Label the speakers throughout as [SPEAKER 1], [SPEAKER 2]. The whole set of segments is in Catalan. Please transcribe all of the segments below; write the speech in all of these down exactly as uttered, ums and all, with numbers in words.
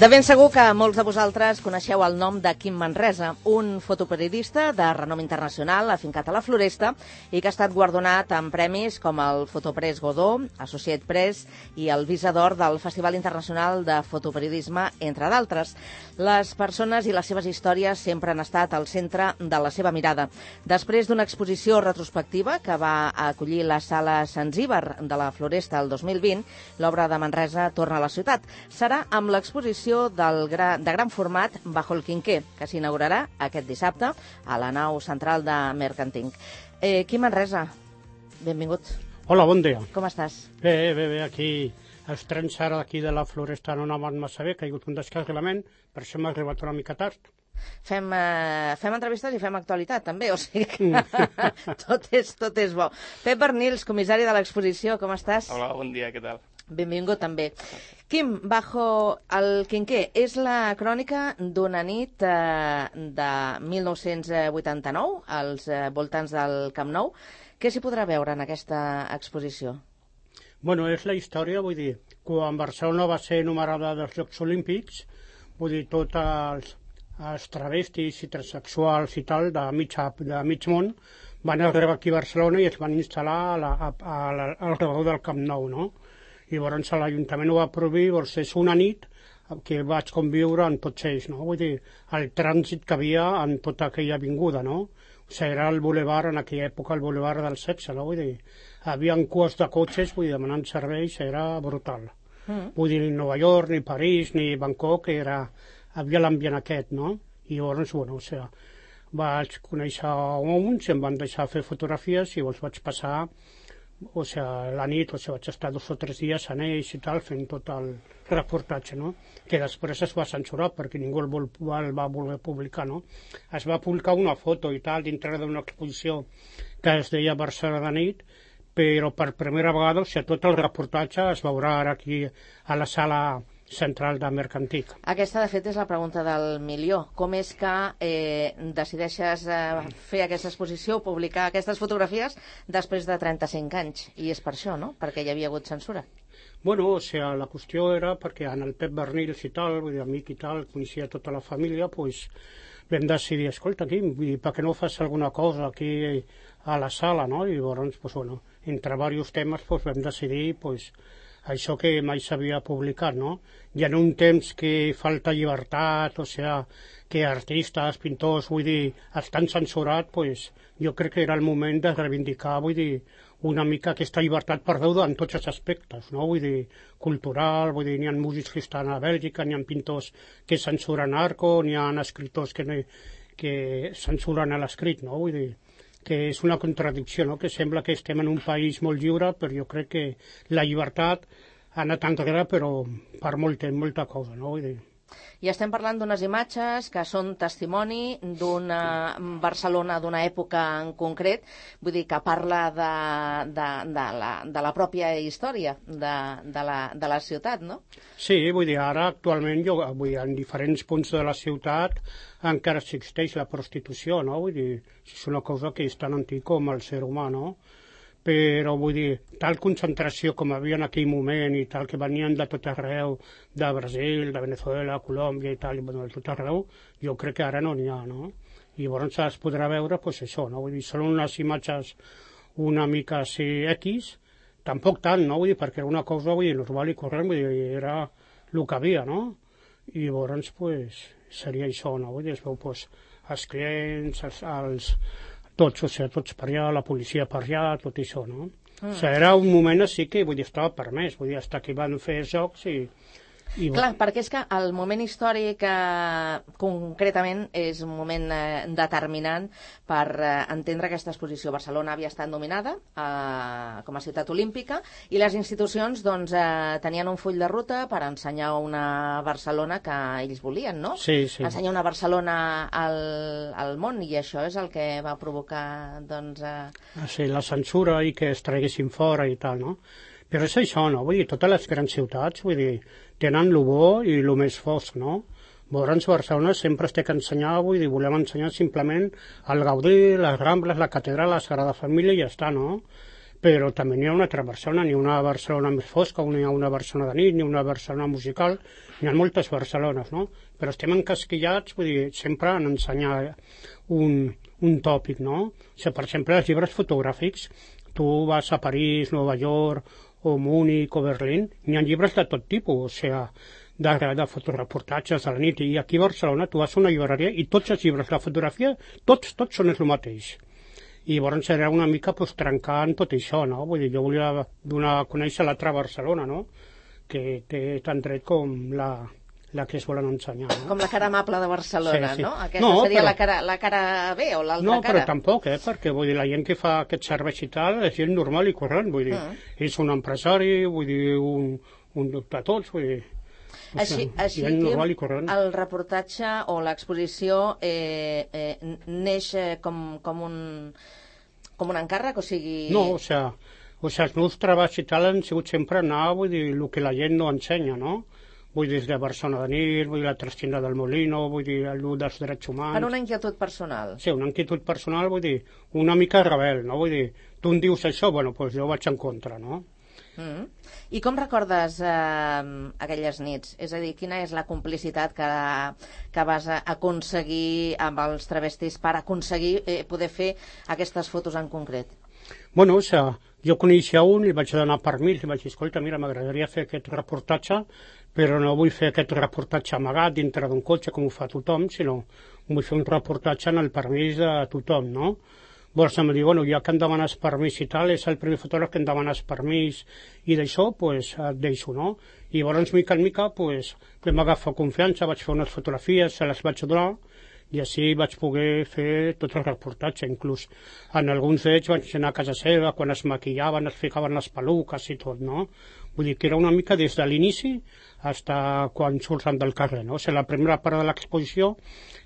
[SPEAKER 1] De ben segur que molts de vosaltres coneixeu el nom de Quim Manresa, un fotoperiodista de renom internacional afincat a la Floresta i que ha estat guardonat amb premis com el Fotopress Godó, Associate Press i el Visa d'Or del Festival Internacional de Fotoperiodisme, entre d'altres. Les persones i les seves històries sempre han estat al centre de la seva mirada. Després d'una exposició retrospectiva que va acollir la Sala Zanzíbar de la Floresta el dos mil vint, l'obra de Manresa torna a la ciutat. Serà amb l'exposició del gra, de gran format Bajo el Quinqué, que s'inaugurarà aquest dissabte a la nau central de Mercantink. Eh, Quim Manresa, benvingut.
[SPEAKER 2] Hola, bon dia.
[SPEAKER 1] Com estàs?
[SPEAKER 2] Bé, bé, bé, aquí els trens ara d'aquí de la Floresta no anaven massa bé, que hi ha hagut un descarrilament, per això m'ha arribat una mica tard.
[SPEAKER 1] Fem, eh, fem entrevistes i fem actualitat, també, o sigui que tot, és, tot és bo. Pep Bernils, comissari de l'exposició, com estàs?
[SPEAKER 3] Hola, bon dia, què tal?
[SPEAKER 1] Benvingut també. Quim, Bajo el Quinqué és la crònica d'una nit eh, de mil nou-cents vuitanta-nou als eh, voltants del Camp Nou. Què s'hi podrà veure en aquesta exposició?
[SPEAKER 2] Bueno, és la història, vull dir, quan Barcelona va ser numerada dels Jocs Olímpics, vull dir, tots els, els travestis i transexuals i tal de mig, de mig món van arribar aquí a Barcelona i es van instal·lar a la, a, a, a, al redor del Camp Nou, no? I llavors l'Ajuntament ho va prohibir, llavors és una nit que vaig conviure amb tots ells, no? Vull dir, el trànsit que havia en tota aquella avinguda, no? O sigui, era el bulevard, en aquella època, el bulevard del sexe, no? Vull dir, havia cues de cotxes, vull dir, demanant serveis, era brutal. Mm. Vull dir, ni Nova York, ni París, ni Bangkok, era, havia l'ambient aquest, no? I llavors, bueno, o sigui, vaig conèixer uns, em van deixar fer fotografies i llavors vaig passar o sigui, la nit, o sigui, vaig estar dos o tres dies en ells i tal, fent tot el reportatge, no? Que després es va censurar perquè ningú el, vol, el va voler publicar, no? Es va publicar una foto i tal dintre d'una exposició que es deia Barcelona de nit, però per primera vegada, o sigui, tot el reportatge es veurà ara aquí a la sala central de Mercantink.
[SPEAKER 1] Aquesta, de fet, és la pregunta del milió. Com és que eh, decideixes eh, fer aquesta exposició, publicar aquestes fotografies després de trenta-cinc anys? I és per això, no? Perquè hi havia hagut censura.
[SPEAKER 2] Bueno, o sigui, la qüestió era perquè en el Pep Bernils i tal, vull dir, amic i tal, coneixia tota la família, doncs vam decidir, escolta, Quim, per què no fas alguna cosa aquí a la sala, no? I llavors, doncs, bueno, entre diversos temes, doncs vam decidir, doncs, això que mai s'havia publicat, no? I en un temps que falta llibertat, o sigui, que artistes, pintors, vull dir, estan censurats, doncs jo crec que era el moment de reivindicar, vull dir, una mica aquesta llibertat perduda en tots els aspectes, no? Vull dir, cultural, vull dir, n'hi ha músics que estan a Bèlgica, n'hi ha pintors que censuren Arco, n'hi ha escriptors que, no, que censuren l'escrit, no? Vull dir, que és una contradicció, no? Que sembla que estem en un país molt lliure, però jo crec que la llibertat ha anat enrere, però per molta, molta cosa, no? Vull dir.
[SPEAKER 1] I estem parlant d'unes imatges que són testimoni d'una Barcelona d'una època en concret, vull dir que parla de, de, de, la, de la pròpia història de, de, la, de la ciutat, no?
[SPEAKER 2] Sí, vull dir, ara actualment jo, vull dir, en diferents punts de la ciutat encara existeix la prostitució, no? Vull dir, és una cosa que és tan antic com el ser humà, no? Però vull dir, tal concentració com havia en aquell moment i tal, que venien de tot arreu, de Brasil, de Venezuela, Colòmbia i tal, i bueno, de tot arreu, jo crec que ara no n'hi ha, no? I llavors es podrà veure, doncs això, no? Vull dir, són unes imatges una mica així X, tampoc tant, no? Vull dir, perquè era una cosa, vull dir, normal i corrent, vull dir, era el que havia, no? I llavors, doncs, seria això, no? Vull dir, es veu, doncs, els clients, els... els tots, o sigui, tots per allà, la policia per allà, tot això, no? Mm. O sigui, era un moment així que, vull dir, estava permès, vull dir, fins que van fer jocs i... I...
[SPEAKER 1] Clar, perquè és que el moment històric eh, concretament és un moment eh, determinant per eh, entendre aquesta exposició. Barcelona havia estat nominada eh, com a ciutat olímpica i les institucions doncs, eh, tenien un full de ruta per ensenyar una Barcelona que ells volien, no?
[SPEAKER 2] Sí, sí.
[SPEAKER 1] Ensenyar una Barcelona al, al món, i això és el que va provocar doncs... Eh...
[SPEAKER 2] Sí, la censura i que es traguessin fora i tal, no? Però és això, no? Vull dir, totes les grans ciutats, vull dir, tenen el bo i el més fosc, no? Llavors, Barcelona sempre es té que ensenyar, vull dir, volem ensenyar simplement el Gaudí, les Rambles, la Catedral, la Sagrada Família i ja està, no? però també n'hi ha una altra Barcelona, n'hi ha una Barcelona més fosca, n'hi ha una Barcelona de nit, n'hi ha una Barcelona musical, n'hi ha moltes Barcelones, no? Però estem encasquillats, vull dir, sempre en ensenyar un, un tòpic, no? O sigui, per exemple, els llibres fotogràfics, tu vas a París, Nova York, o Múnich, o Berlín, n'hi ha llibres de tot tipus, o sigui, de, de fotoreportatges de la nit, i aquí a Barcelona tu vas a una llibreria i tots els llibres de fotografia, tots, tots són el mateix. I llavors era una mica pues, trencant tot això, no? Vull dir, jo volia donar a conèixer l'altra Barcelona, no? Que té tant dret com la, la que es volen ensenyar, no?
[SPEAKER 1] Com la cara amable de Barcelona, sí, sí. No? Aquesta
[SPEAKER 2] no,
[SPEAKER 1] seria
[SPEAKER 2] però,
[SPEAKER 1] la, cara, la cara B o l'altra
[SPEAKER 2] no,
[SPEAKER 1] cara?
[SPEAKER 2] No, però tampoc, eh? Perquè vull dir, la gent que fa aquest servei i tal és gent normal i corrent, vull dir, mm. és un empresari, vull dir, un, un de tots, vull dir...
[SPEAKER 1] Així, així Quim, el reportatge o l'exposició eh, eh, neix eh, com, com, un, com un encàrrec, o sigui...
[SPEAKER 2] No, o sigui, o sigui, els meus treballs i tal han sigut sempre anar, vull dir, el que la gent no ensenya, no? Vull dir, des de Barcelona de nit, vull dir, la Trestina del Molino, vull dir, l'ús dels drets humans...
[SPEAKER 1] Per una inquietud personal.
[SPEAKER 2] Sí, una inquietud personal, vull dir, una mica rebel, no? Vull dir, tu em dius això, bueno, doncs jo vaig en contra, no?
[SPEAKER 1] Mm. I com recordes eh, aquelles nits? És a dir, quina és la complicitat que, que vas aconseguir amb els travestis per aconseguir eh, poder fer aquestes fotos en concret?
[SPEAKER 2] Bueno, o sigui, jo coneixia un i vaig donar permís, i vaig dir, escolta, mira, m'agradaria fer aquest reportatge, però no vull fer aquest reportatge amagat dintre d'un cotxe com ho fa tothom, sinó vull fer un reportatge en el permís de tothom, no? Llavors em diu, bueno, ja que em demanes permís i tal, és el primer fotògraf que em demanes permís i d'això, doncs, et deixo, no? I llavors, mica en mica, doncs, vam agafar confiança, vaig fer unes fotografies, se les vaig donar, i així vaig poder fer tot el reportatge, inclús en alguns d'ells vaig anar a casa seva, quan es maquillaven, es ficaven les peluques i tot, no? Vull dir que era una mica des de l'inici fins quan surten del carrer, no? O sigui, la primera part de l'exposició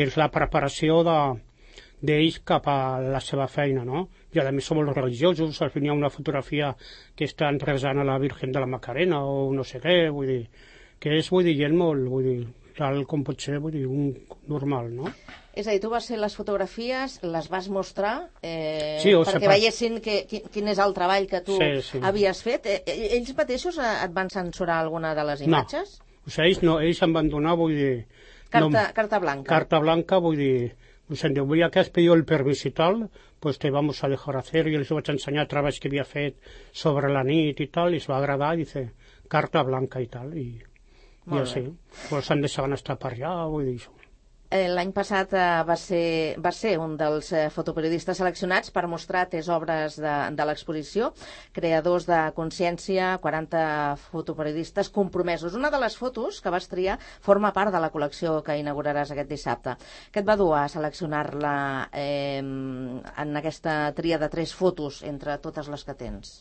[SPEAKER 2] és la preparació de d'ells cap a la seva feina, no? I a més som molt religiosos, al final hi ha una fotografia que estan resant a la Virgen de la Macarena o no sé què, vull dir, que és, vull dir, gent molt, vull dir, tal com pot ser, vull dir, un normal, no?
[SPEAKER 1] És a dir, tu vas fer les fotografies, les vas mostrar, eh,
[SPEAKER 2] sí,
[SPEAKER 1] perquè pas... veiessin que, quin és el treball que tu sí, sí. havies fet. Eh, ells mateixos et van censurar alguna de les imatges?
[SPEAKER 2] No, o sigui, ells, no, ells em van donar, vull dir...
[SPEAKER 1] Carta,
[SPEAKER 2] no,
[SPEAKER 1] carta blanca.
[SPEAKER 2] Carta blanca, vull dir... Pues en diu, ya que has pedido el permiso y tal, pues te vamos a dejar hacer. Y les vaig ensenyar treballs que havia fet sobre la nit i tal, i es va agradar, i dice, carta blanca i tal, i, i així. Pues han deixat estar per allà, vull dir això.
[SPEAKER 1] L'any passat eh, va, ser, va ser un dels eh, fotoperiodistes seleccionats per mostrar tres obres de, de l'exposició, creadors de consciència, quaranta fotoperiodistes compromesos. Una de les fotos que vas triar forma part de la col·lecció que inauguraràs aquest dissabte. Què et va dur a seleccionar-la eh, en aquesta tria de tres fotos entre totes les que tens?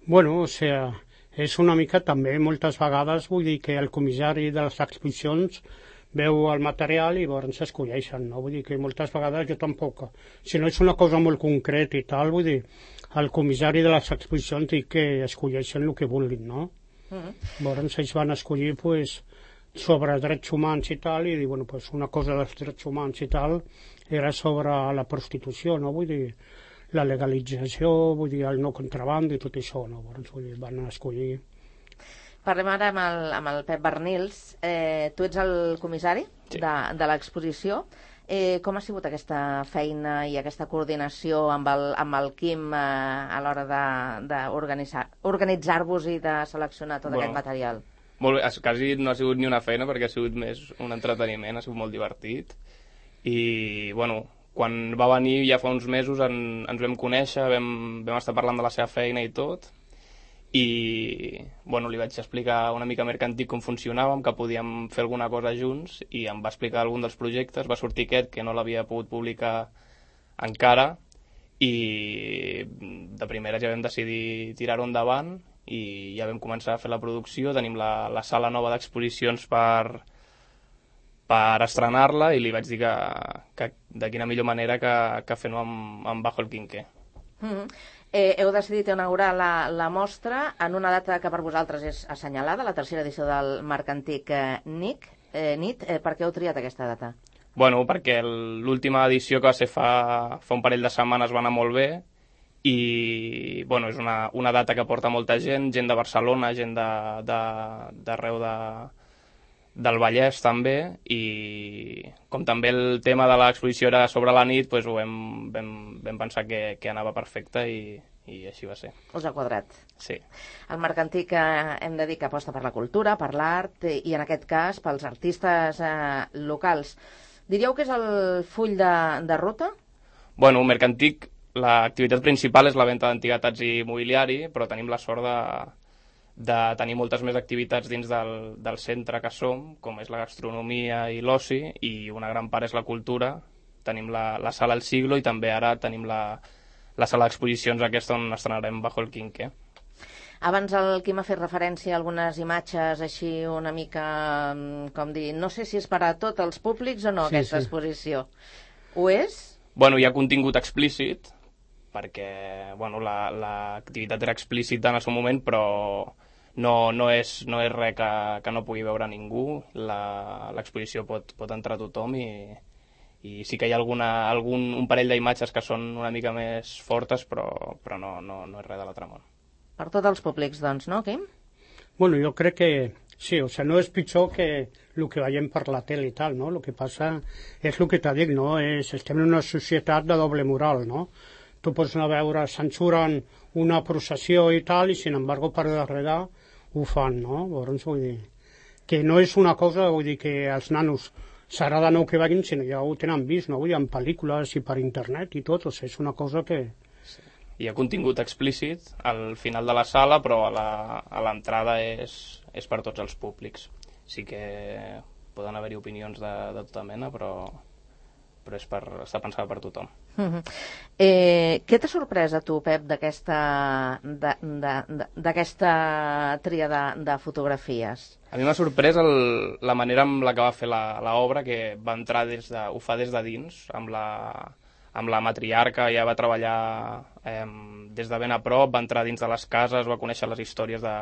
[SPEAKER 2] Bueno, o sigui, és una mica també, moltes vegades, vull dir que el comissari de les exposicions veu el material i llavors s'escolleixen, no? Vull dir que moltes vegades jo tampoc, si no és una cosa molt concreta i tal, vull dir, el comissari de les exposicions dic que escolleixen el que vulguin, no? Mm-hmm. Llavors ells van escollir, pues, sobre drets humans i tal, i dir, bueno, pues una cosa dels drets humans i tal era sobre la prostitució, no? Vull dir, la legalització, vull dir, el no contraband i tot això, no? Llavors, vull dir, van escollir...
[SPEAKER 1] Parlem ara amb el, amb el Pep Bernils. Eh, tu ets el comissari sí. de, de l'exposició. Eh, com ha sigut aquesta feina i aquesta coordinació amb el, amb el Quim eh, a l'hora d'organitzar-vos i de seleccionar tot bueno, aquest material?
[SPEAKER 3] Molt bé, quasi no ha sigut ni una feina perquè ha sigut més un entreteniment, ha sigut molt divertit. I, bueno, quan va venir ja fa uns mesos en, ens vam conèixer, vam, vam estar parlant de la seva feina i tot. I bueno, li vaig explicar una mica mercantil com funcionàvem, que podíem fer alguna cosa junts, i em va explicar algun dels projectes. Va sortir aquest, que no l'havia pogut publicar encara, i de primera ja vam decidir tirar-ho endavant i ja vam començar a fer la producció. Tenim la, la sala nova d'exposicions per, per estrenar-la, i li vaig dir que, que de quina millor manera que, que fent-ho amb, amb Bajo el Quinqué.
[SPEAKER 1] Mm-hmm. Eh, heu decidit inaugurar la, la mostra en una data que per vosaltres és assenyalada, la tercera edició del Marc Antic eh, Nic, eh, nit. Eh, per què heu triat aquesta data?
[SPEAKER 3] Bueno, perquè l'última edició que va ser fa, fa un parell de setmanes va anar molt bé, i bueno, és una, una data que porta molta gent, gent de Barcelona, gent d'arreu de, de, de, del Vallès també, i com també el tema de l'exposició era sobre la nit, doncs ho vam, vam, vam pensar que, que anava perfecte i, i així va ser.
[SPEAKER 1] Us ha quadrat.
[SPEAKER 3] Sí.
[SPEAKER 1] El mercantí que hem de dir que aposta per la cultura, per l'art i en aquest cas pels artistes eh, locals. Diríeu que és el full de, de ruta?
[SPEAKER 3] Bueno, Mercantic, l'activitat principal és la venda d'antiguitats i mobiliari, però tenim la sort de, de tenir moltes més activitats dins del, del centre que som, com és la gastronomia i l'oci, i una gran part és la cultura. Tenim la, la sala El Siglo i també ara tenim la, la sala d'exposicions aquesta on estrenarem Bajo el Quinqué.
[SPEAKER 1] Abans el Quim ha fet referència a algunes imatges així una mica, com dir, no sé si és per a tots els públics o no, sí, aquesta sí. exposició. Ho és?
[SPEAKER 3] Bueno, hi ha contingut explícit, perquè bueno, l'activitat la, era explícita en el seu moment, però no, no, és, no és res que, que no pugui veure ningú. L'exposició pot, pot entrar tothom i, i sí que hi ha alguna, algun, un parell d'imatges que són una mica més fortes, però, però no, no, no és res de l'altre món.
[SPEAKER 1] Per tots els públics, doncs, no, Quim?
[SPEAKER 2] Bueno, jo crec que sí, o sea, no és pitjor que el que veiem per la tele i tal, no? El que passa és el que t'ha dit, no? És, estem en una societat de doble moral, no? Tu pots anar a veure, censuren una processió i tal, i sin embargo per darrere ho fan, no? Llavors, vull dir, que no és una cosa, vull dir, que els nanos serà de nou que vagin, sinó ja ho tenen vist, no? Vull dir, en pel·lícules i per internet i tot, o sigui, és una cosa que...
[SPEAKER 3] Sí. Hi ha contingut explícit al final de la sala, però a l'entrada és, és per tots els públics. Sí que poden haver-hi opinions de, de tota mena, però, però és per, està pensada per tothom.
[SPEAKER 1] Uh-huh. eh, què t'ha sorprès a tu, Pep, d'aquesta tria de, de fotografies?
[SPEAKER 3] A mi m'ha sorprès el, la manera amb la que va fer l'obra, que va entrar des de, ho fa des de dins, amb la... amb la matriarca, ja va treballar eh, des de ben a prop, va entrar dins de les cases, va conèixer les històries de,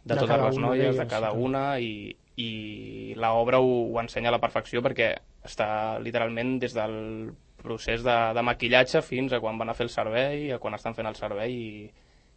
[SPEAKER 3] de, de totes les noies, de cada una, i, i l'obra ho, ho ensenya a la perfecció perquè està literalment des del procés de, de maquillatge fins a quan van a fer el servei, a quan estan fent el servei, i,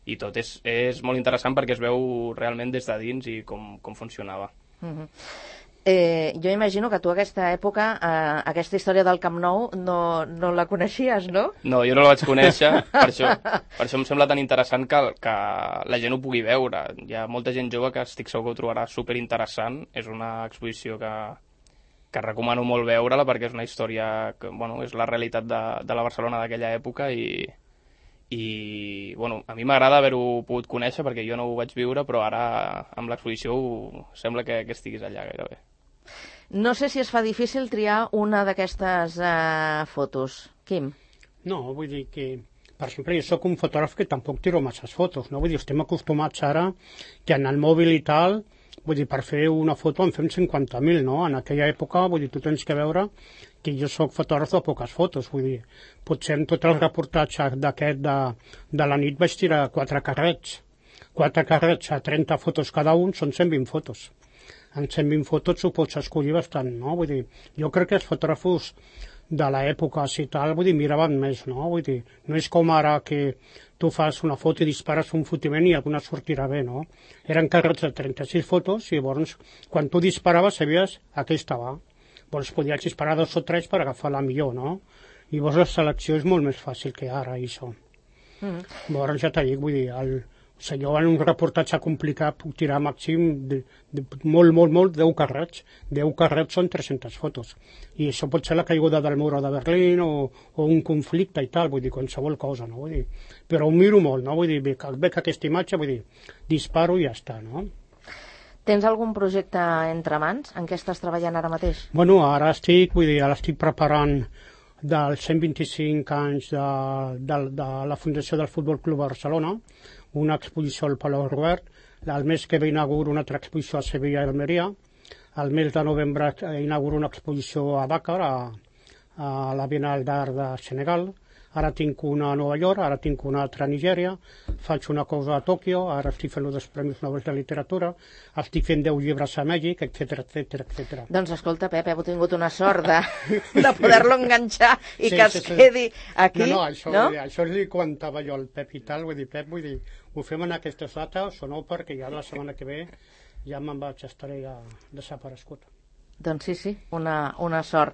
[SPEAKER 3] i tot és, és molt interessant perquè es veu realment des de dins i com, com funcionava.
[SPEAKER 1] Mm-hmm. Eh, jo imagino que tu aquesta època, eh, aquesta història del Camp Nou, no, no la coneixies, no?
[SPEAKER 3] No, jo no la vaig conèixer, per això, per això em sembla tan interessant que, que la gent ho pugui veure. Hi ha molta gent jove que estic segur que ho trobarà superinteressant. És una exposició que, que recomano molt veure-la perquè és una història que, bueno, és la realitat de, de la Barcelona d'aquella època i, i bueno, a mi m'agrada haver-ho pogut conèixer perquè jo no ho vaig viure, però ara amb l'exposició sembla que, que estiguis allà gairebé.
[SPEAKER 1] No sé si es fa difícil triar una d'aquestes eh, fotos. Quim?
[SPEAKER 2] No, vull dir que, per exemple, jo sóc un fotògraf que tampoc tiro masses fotos, no? Vull dir, estem acostumats ara que en el mòbil i tal, vull dir, per fer una foto en fem cinquanta mil, no? En aquella època, vull dir, tu tens que veure que jo sóc fotògraf de poques fotos, vull dir, potser en tot el reportatge d'aquest de, de la nit vaig tirar quatre carrets. Quatre carrets a trenta fotos cada un són cent vint fotos. En cent vint fotos ho pots escollir bastant, no? Vull dir, jo crec que els fotògrafos de l'època i tal, vull dir, miraven més, no? Vull dir, no és com ara que tu fas una foto i dispares un fotiment i alguna sortirà bé, no? Eren carrets de trenta-sis fotos i llavors, quan tu disparaves, sabies a què estava. Llavors podies disparar dos o tres per agafar la millor, no? I llavors la selecció és molt més fàcil que ara, això. Mm. Llavors ja t'ho dic, vull dir, el... O sigui, jo en un reportatge complicat puc tirar màxim de, de, molt, molt, molt, deu carrets. deu carrets són tres-centes fotos. I això pot ser la caiguda del mur de Berlín o, o un conflicte i tal, vull dir, qualsevol cosa, no? Vull dir, però ho miro molt, no? Vull dir, veig, veig aquesta imatge, vull dir, disparo i ja està, no?
[SPEAKER 1] Tens algun projecte entre mans? En què estàs treballant ara mateix?
[SPEAKER 2] Bueno, ara estic, vull dir, ara estic preparant dels cent vint-i-cinc anys de, de, de la Fundació del Futbol Club Barcelona, una exposició al Palau Robert, el mes que ve inauguro una altra exposició a Sevilla i Almeria, el mes de novembre inauguro una exposició a Dakar, a, a la Bienal d'Art de Senegal, ara tinc una a Nova York, ara tinc una altra a Nigèria, faig una cosa a Tòquio, ara estic fent els Premis Nobel de Literatura, estic fent deu llibres a Mèxic, etc etc etc.
[SPEAKER 1] Doncs escolta, Pep, heu tingut una sort de, de poder-lo enganxar i
[SPEAKER 2] Sí,
[SPEAKER 1] que
[SPEAKER 2] sí,
[SPEAKER 1] es
[SPEAKER 2] sí.
[SPEAKER 1] quedi aquí,
[SPEAKER 2] No, no, això,
[SPEAKER 1] no?
[SPEAKER 2] això li comentava jo al Pep i tal, vull dir, Pep, vull dir, ho fem en aquestes dates o no, perquè ja la setmana que ve ja me'n vaig, estaré ja desaparegut.
[SPEAKER 1] Doncs sí, sí, una, una sort.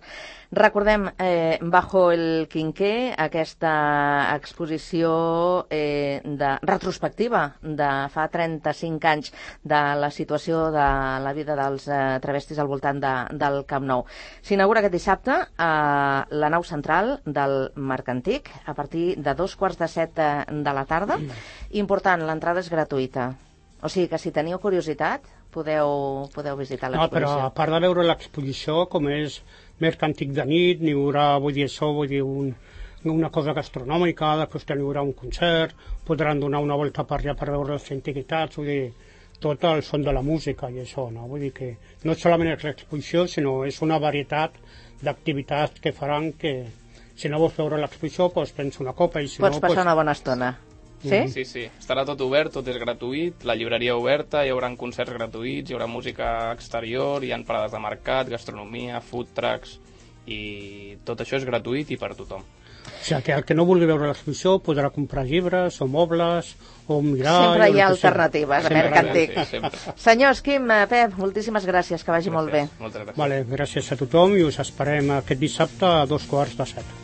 [SPEAKER 1] Recordem, eh, Bajo el Quinqué, aquesta exposició eh, de retrospectiva de fa trenta-cinc anys de la situació de la vida dels eh, travestis al voltant de, del Camp Nou. S'inaugura aquest dissabte a la nau central del Marc Antic a partir de dos quarts de set de, de la tarda. Important, l'entrada és gratuïta. O sigui que si teniu curiositat podeu, podeu visitar
[SPEAKER 2] No, però
[SPEAKER 1] l'exposició.
[SPEAKER 2] a part de veure l'exposició, com és Merc Antic de nit, n'hi haurà, vull dir, això, vull dir, un, una cosa gastronòmica, després n'hi haurà un concert, podran donar una volta per allà per veure les antiguitats, vull dir, tot el son de la música i això, no? Vull dir que no solament és l'exposició, sinó és una varietat d'activitats que faran que, si no vols veure l'exposició, doncs prens una copa i si
[SPEAKER 1] Pots
[SPEAKER 2] no...
[SPEAKER 1] passar
[SPEAKER 2] Pues,
[SPEAKER 1] una bona estona. Sí?
[SPEAKER 3] Sí, sí. Estarà tot obert, tot és gratuït, la llibreria oberta, hi haurà concerts gratuïts, hi haurà música exterior, hi ha parades de mercat, gastronomia, food trucks, i tot això és gratuït i per a tothom.
[SPEAKER 2] o sigui, que el que no vulgui veure l'exposició podrà comprar llibres o mobles o mirar...
[SPEAKER 1] Sempre
[SPEAKER 2] o
[SPEAKER 1] hi ha
[SPEAKER 2] el que sigui.
[SPEAKER 1] alternatives a
[SPEAKER 3] Sempre,
[SPEAKER 1] Merc Antic.
[SPEAKER 3] sí, sempre.
[SPEAKER 1] Senyors, Quim, eh, Pep, moltíssimes gràcies, que vagi molt bé.
[SPEAKER 3] Gràcies, moltes gràcies.
[SPEAKER 2] Vale, gràcies a tothom i us esperem aquest dissabte a dos quarts de set.